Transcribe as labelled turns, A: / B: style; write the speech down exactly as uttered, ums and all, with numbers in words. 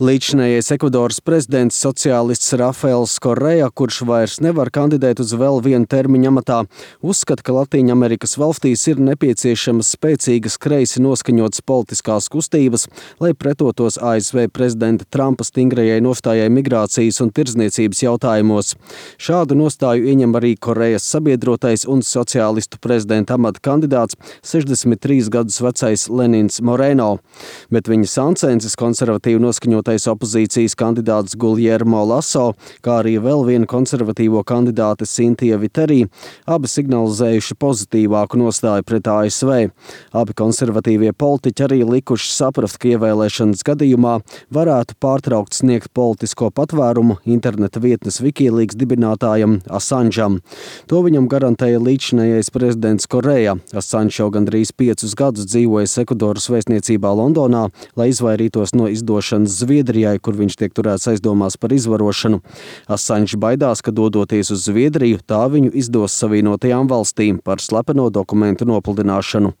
A: Līdzinējais Ekvadoras prezidents sociālists Rafaels Correa, kurš vairs nevar kandidēt uz vēl vienu termiņu amatā, uzskata, ka Latīņamerikas valstīs ir nepieciešamas spēcīgas kreisi noskaņotas politiskās kustības, lai pretotos A S V prezidenta Trumpa stingrajai nostājai migrācijas un tirdzniecības jautājumos. Šādu nostāju ieņem arī Correas sabiedrotais un sociālistu prezidenta amata kandidāts sešdesmit trīs gadus vecais Lenins Moreno, bet viņa sancensis konservatīvi noskaņotais opozīcijas kandidāts Guillermo Lasso, kā arī vēl viena konservatīvo kandidāte Cynthia Viteri, abi signalizējuši pozitīvāku nostāju pret A S V. Abi konservatīvie politiķi arī likuši saprast, ka ievēlēšanas gadījumā varētu pārtraukt sniegt politisko patvērumu interneta vietnes Wikileaks dibinātājam Assangeam. To viņam garantēja līdzinējais prezidents Correa. Assange jau gandrīz piecus gadus dzīvojas Ekvadoras vēstniecībā Londonā, lai izvairītos no izdošanas Zviedrijai, kur viņš tiek turēts aizdomās par izvarošanu. Assange baidās, ka dodoties uz Zviedriju, tā viņu izdos Savienotajām valstīm par slepeno dokumentu nopludināšanu.